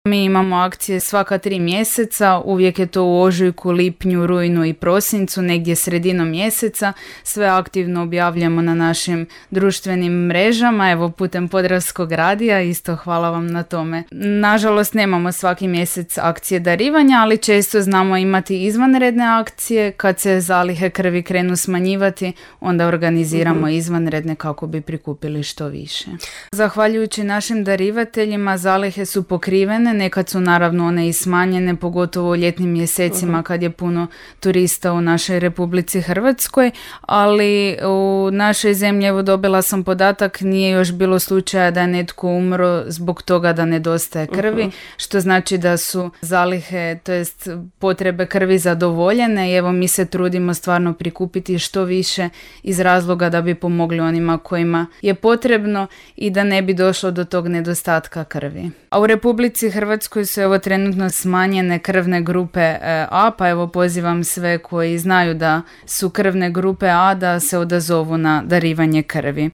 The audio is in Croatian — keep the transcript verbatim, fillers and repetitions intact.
Mi imamo akcije svaka tri mjeseca, uvijek je to u ožujku, lipnju, rujnu i prosincu, negdje sredinom mjeseca. Sve aktivno objavljamo na našim društvenim mrežama, evo putem Podravskog radija, isto hvala vam na tome. Nažalost nemamo svaki mjesec akcije darivanja, ali često znamo imati izvanredne akcije. Kad se zalihe krvi krenu smanjivati, onda organiziramo uh-huh. izvanredne kako bi prikupili što više. Zahvaljujući našim darivateljima zalihe su pokrivene, nekad su naravno one i smanjene, pogotovo u ljetnim mjesecima uh-huh. kad je puno turista u našoj Republici Hrvatskoj, ali u našoj zemlji, evo dobila sam podatak, nije još bilo slučaja da je netko umro zbog toga da nedostaje krvi, uh-huh. što znači da su zalihe, to jest potrebe krvi zadovoljene i evo mi se trudimo stvarno prikupiti što više iz razloga da bi pomogli onima kojima je potrebno i da ne bi došlo do tog nedostatka krvi. A u Republici Hrvatskoj su evo trenutno smanjene krvne grupe A, pa evo pozivam sve koji znaju da su krvne grupe A da se odazovu na darivanje krvi.